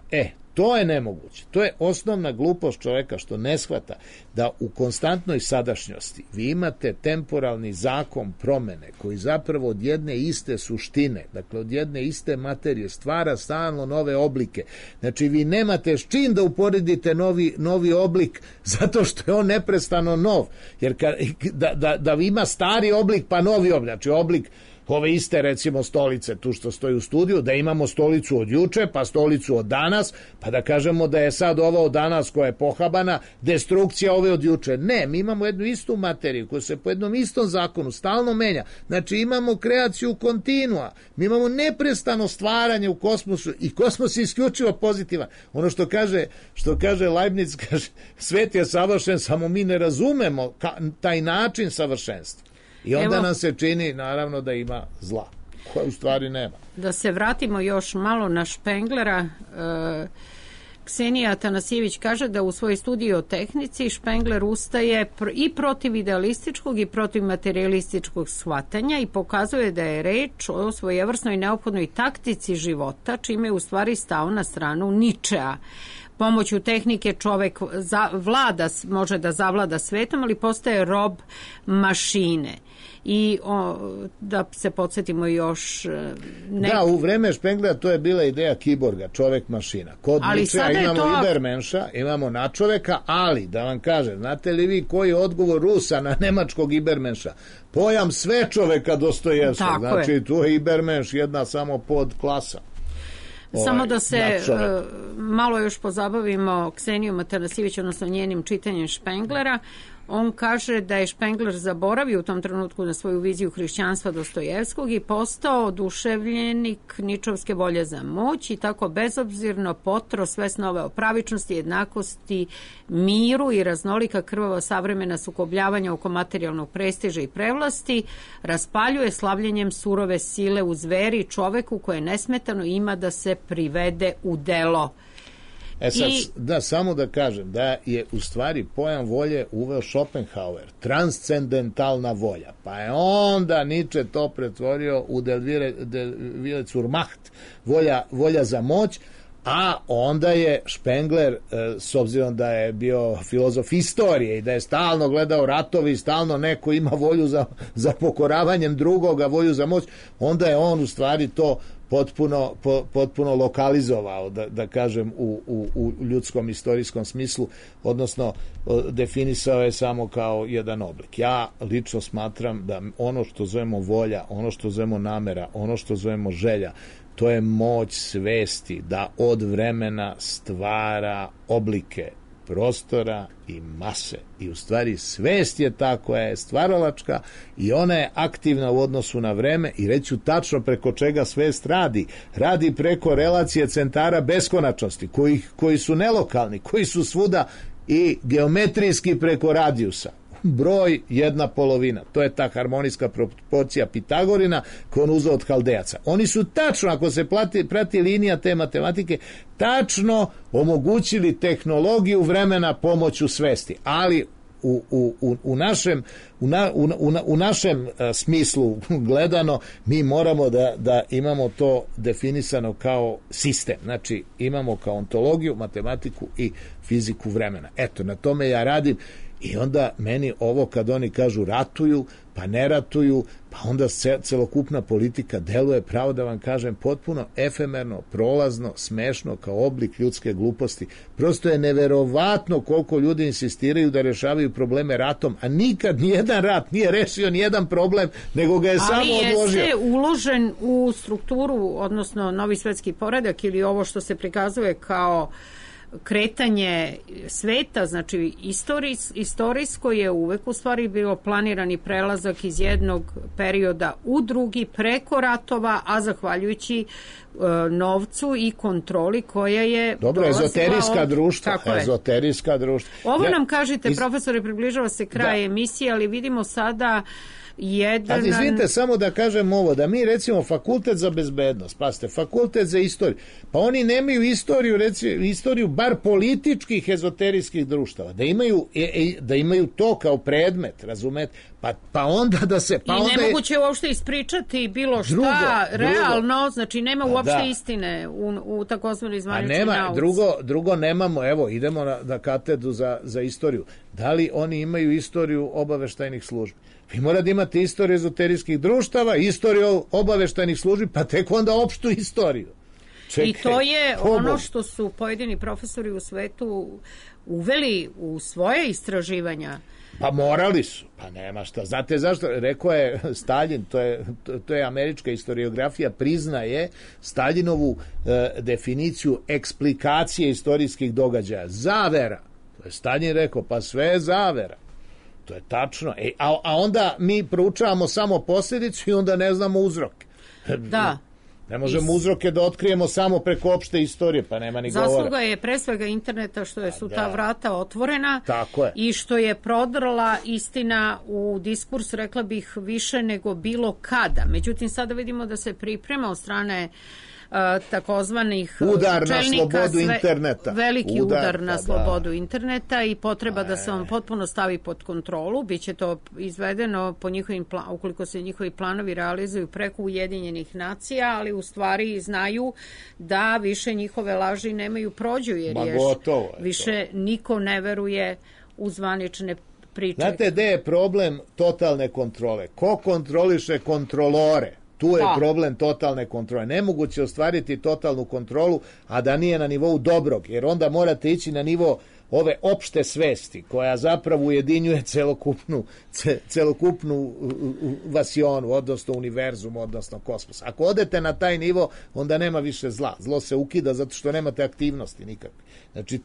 To je nemoguće. To je osnovna glupost čoveka što ne shvata da u konstantnoj sadašnjosti vi imate temporalni zakon promene koji zapravo od jedne iste suštine, dakle od jedne iste materije stvara stalno nove oblike. Znači vi nemate s čim da uporedite novi oblik zato što je on neprestano nov. Jer da ima stari oblik pa novi oblik, znači oblik ove iste recimo stolice tu što stoji u studiju, da imamo stolicu od juče, pa stolicu od danas, pa da kažemo da je sad ova od danas koja je pohabana, destrukcija ove od juče. Ne, mi imamo jednu istu materiju koja se po jednom istom zakonu stalno menja. Znači imamo kreaciju kontinua, mi imamo neprestano stvaranje u kosmosu i kosmos je isključivo pozitivan. Ono što kaže Leibniz, kaže, svet je savršen, samo mi ne razumemo taj način savršenstva. I onda nam se čini, naravno, da ima zla, koja u stvari nema. Da se vratimo još malo na Špenglera. Ksenija Atanasijević kaže da u svojoj studiji o tehnici Špengler ustaje i protiv idealističkog i protiv materialističkog shvatanja i pokazuje da je reč o svojevrsnoj neophodnoj taktici života, čime je u stvari stao na stranu Ničea. Pomoću tehnike čovek može da zavlada svetom, ali postaje rob mašine. I da se podsjetimo još... Da, u vreme Špenglera to je bila ideja kiborga, čovek mašina. Kod Ničea imamo Ibermenša, imamo nadčoveka, ali da vam kažem, znate li vi koji je odgovor Rusa na nemačkog Ibermenša? Pojam sve čoveka Dostojevskog, znači tu je Ibermenš jedna samo podklasa. Samo da se malo još pozabavimo Ksenijom Atanasijević, odnosno njenim čitanjem Špenglera. On kaže da je Špengler zaboravio u tom trenutku na svoju viziju hrišćanstva Dostojevskog i postao oduševljenik ničovske volje za moć i tako bezobzirno potro sve snove o pravičnosti, jednakosti, miru i raznolika krvava savremena sukobljavanja oko materijalnog prestiža i prevlasti, raspaljuje slavljenjem surove sile u zveri čoveku koje nesmetano ima da se privede u delo. Samo da kažem da je u stvari pojam volje uveo Schopenhauer, transcendentalna volja, pa je onda Nietzsche to pretvorio u der Wille zur Macht, volja za moć, a onda je Špengler, s obzirom da je bio filozof istorije i da je stalno gledao ratovi, stalno neko ima volju za pokoravanjem drugoga, volju za moć, onda je on u stvari to potpuno lokalizovao, da kažem, u ljudskom istorijskom smislu, odnosno definisao je samo kao jedan oblik. Ja lično smatram da ono što zovemo volja, ono što zovemo namera, ono što zovemo želja, to je moć svesti da od vremena stvara oblike prostora i mase. I u stvari svest je ta koja je stvaralačka i ona je aktivna u odnosu na vreme i reću tačno preko čega svest radi. Radi preko relacije centara beskonačnosti koji su nelokalni, koji su svuda i geometrijski preko radijusa. Broj 1/2. To je ta harmonijska proporcija Pitagorina koju on uzeo od Haldejaca. Oni su tačno, ako se prati linija te matematike, tačno omogućili tehnologiju vremena pomoću svesti. Ali u našem smislu gledano mi moramo da imamo to definisano kao sistem. Znači imamo kao ontologiju, matematiku i fiziku vremena. Eto, na tome ja radim. I onda meni ovo kad oni kažu ratuju, pa ne ratuju, pa onda celokupna politika deluje, pravo da vam kažem, potpuno efemerno, prolazno, smešno kao oblik ljudske gluposti. Prosto je neverovatno koliko ljudi insistiraju da rešavaju probleme ratom, a nikad nijedan rat nije rešio nijedan problem, nego ga je samo odložio. Ali jeste uložen u strukturu, odnosno novi svetski poredak ili ovo što se prikazuje kao kretanje sveta, znači istorijsko je uvek u stvari bilo planirani prelazak iz jednog perioda u drugi preko ratova, a zahvaljujući novcu i kontroli koja je ezoterijska društva. Ovo nam kažete, profesore, približava se kraj emisije, ali vidimo sada jedan... Izvinite, samo da kažem ovo, da mi recimo fakultet za bezbednost, pazite, fakultet za istoriju, pa oni nemaju istoriju, recimo, istoriju bar političkih ezoterijskih društava, da imaju to kao predmet, razumete, pa onda da se... Pa i onda nemoguće uopšte ispričati bilo šta realno, znači nema uopšte istine u takozvanoj zvaničnoj nauci. Drugo nemamo, evo, idemo na katedru za istoriju. Da li oni imaju istoriju obaveštajnih službi? Vi morate da imate istoriju ezoterijskih društava, istoriju obaveštajnih službi, pa tek onda opštu istoriju. Čekaj, i to je ono što su pojedini profesori u svetu uveli u svoje istraživanja. Pa morali su, pa nema šta. Znate zašto? Rekao je Staljin, to je američka historiografija, priznaje Staljinovu definiciju eksplikacije istorijskih događaja. Zavera. To je Staljin rekao, pa sve je zavera. To je tačno. A onda mi proučavamo samo posljedicu i onda ne znamo uzroke. Da. Ne možemo uzroke da otkrijemo samo preko opšte istorije, pa nema ni govora. Zasluga je pre svega interneta što su ta vrata otvorena. Tako je. I što je prodrla istina u diskurs, rekla bih, više nego bilo kada. Međutim, sada vidimo da se priprema od strane takozvanih udar čelnika, na slobodu interneta. Veliki udar na slobodu interneta i potreba da se on potpuno stavi pod kontrolu. Biće to izvedeno po njihovim ukoliko se njihovi planovi realizuju preko Ujedinjenih nacija, ali u stvari znaju da više njihove laži nemaju prođu, jer više niko ne veruje u zvanične priče. Znate gde je problem totalne kontrole? Ko kontroliše kontrolore? Tu je problem totalne kontrole. Nemoguće ostvariti totalnu kontrolu, a da nije na nivou dobrog, jer onda morate ići na nivo ove opšte svesti, koja zapravo ujedinjuje celokupnu vasionu, odnosno univerzum, odnosno kosmos. Ako odete na taj nivo, onda nema više zla. Zlo se ukida zato što nemate aktivnosti nikakve. Znači,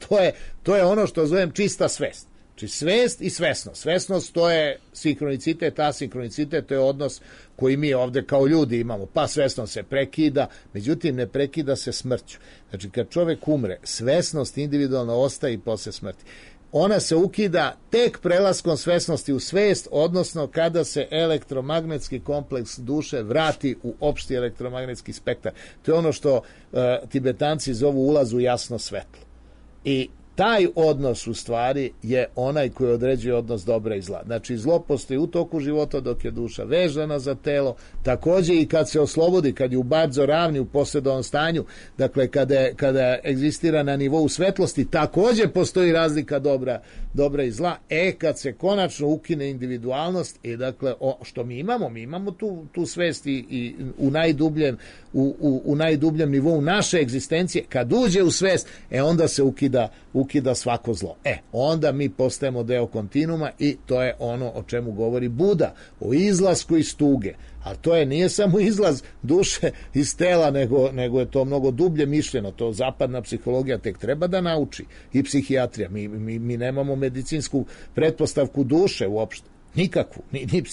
to je ono što zovem čista svest. Znači, svest i svesnost. Svesnost to je sinhronicitet, asinkronicitet to je odnos koji mi ovde kao ljudi imamo. Pa svesnost se prekida, međutim ne prekida se smrću. Znači, kad čovek umre, svesnost individualno ostaje i posle smrti. Ona se ukida tek prelaskom svesnosti u svest, odnosno kada se elektromagnetski kompleks duše vrati u opšti elektromagnetski spektar. To je ono što Tibetanci zovu ulaz u jasno svetlo. I taj odnos u stvari je onaj koji određuje odnos dobra i zla. Znači, zlo postoji u toku života dok je duša vezana za telo, takođe i kad se oslobodi, kad je u Badzo ravni u posredovnom stanju, dakle kada egzistira na nivou svetlosti, takođe postoji razlika dobra i zla. Kad se konačno ukine individualnost, dakle, što mi imamo tu svest i u najdubljem nivou naše egzistencije, kad uđe u svest, onda se ukida svako zlo. Onda mi postajemo deo kontinuuma i to je ono o čemu govori Buda, o izlasku iz tuge. A to nije samo izlaz duše iz tela, nego je to mnogo dublje mišljeno. To zapadna psihologija tek treba da nauči i psihijatrija. Mi nemamo medicinsku pretpostavku duše uopšte. Nikakvu.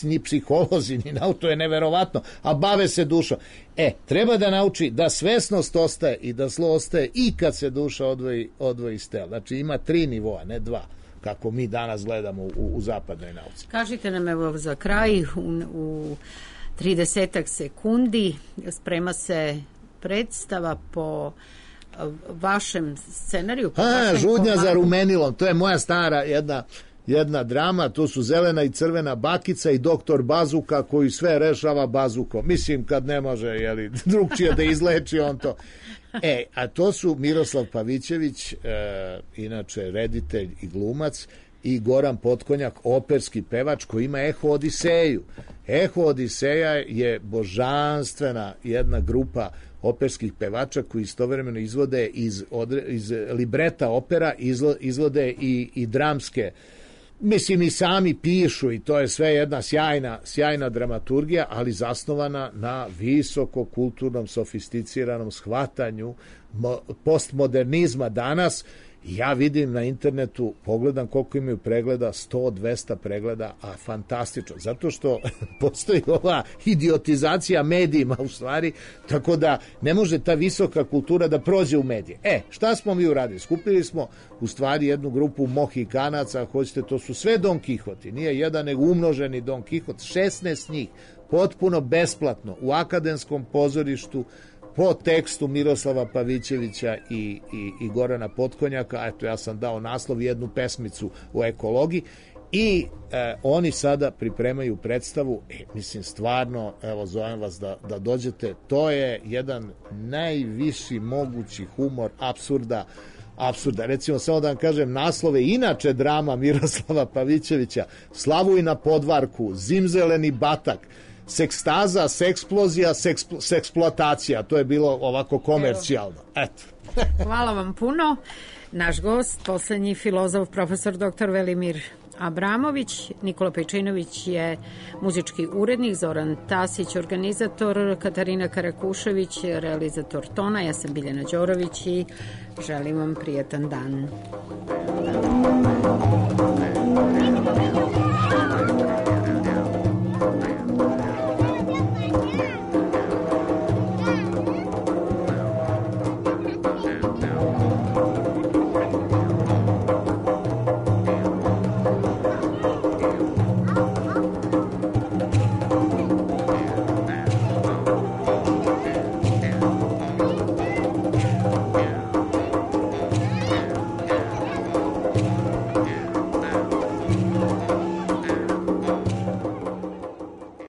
Ni psiholozi, ni to je neverovatno. A bave se dušom. Treba da nauči da svesnost ostaje i da zlo ostaje i kad se duša odvoji iz tela. Znači ima 3 nivoa, ne 2, kako mi danas gledamo u zapadnoj nauci. Kažite nam evo za kraj u 30 sekundi sprema se predstava po vašem scenariju. Žudnja za rumenilom. To je moja stara jedna drama, to su zelena i crvena bakica i doktor Bazuka koji sve rešava bazukom. Mislim, kad ne može drugčije da izleči on to. A to su Miroslav Pavićević, inače reditelj i glumac, i Goran Potkonjak, operski pevač koji ima Eho Odiseju. Eho Odiseja je božanstvena jedna grupa operskih pevača koji istovremeno izvode iz libreta opera, izvode i dramske, mislim i sami pišu, i to je sve jedna sjajna dramaturgija, ali zasnovana na visoko kulturnom sofisticiranom shvatanju postmodernizma danas Ja vidim na internetu, pogledam koliko imaju pregleda, 100-200 pregleda, a fantastično, zato što postoji ova idiotizacija medijima u stvari, tako da ne može ta visoka kultura da prođe u medije. Šta smo mi uradili? Skupili smo u stvari jednu grupu Mohikanaca, hoćete, to su sve Don Kihoti, nije jedan nego umnoženi Don Kihot, 16 njih, potpuno besplatno, u akademskom pozorištu, po tekstu Miroslava Pavićevića i Gorana Potkonjaka. Eto, ja sam dao naslov, jednu pesmicu o ekologiji, i oni sada pripremaju predstavu. Mislim, stvarno, evo, zovem vas da dođete, to je jedan najviši mogući humor apsurda. Recimo, samo da vam kažem naslove, inače drama Miroslava Pavićevića: Slavuj na podvarku, Zimzeleni batak, Sekstaza, seksplozija, seksploatacija. To je bilo ovako komercijalno. Eto. Hvala vam puno. Naš gost, poslednji filozof, profesor dr. Velimir Abramović. Nikola Pejčinović je muzički urednik, Zoran Tasić organizator, Katarina Karakušević realizator tona, ja sam Biljana Đorović i želim vam prijetan dan.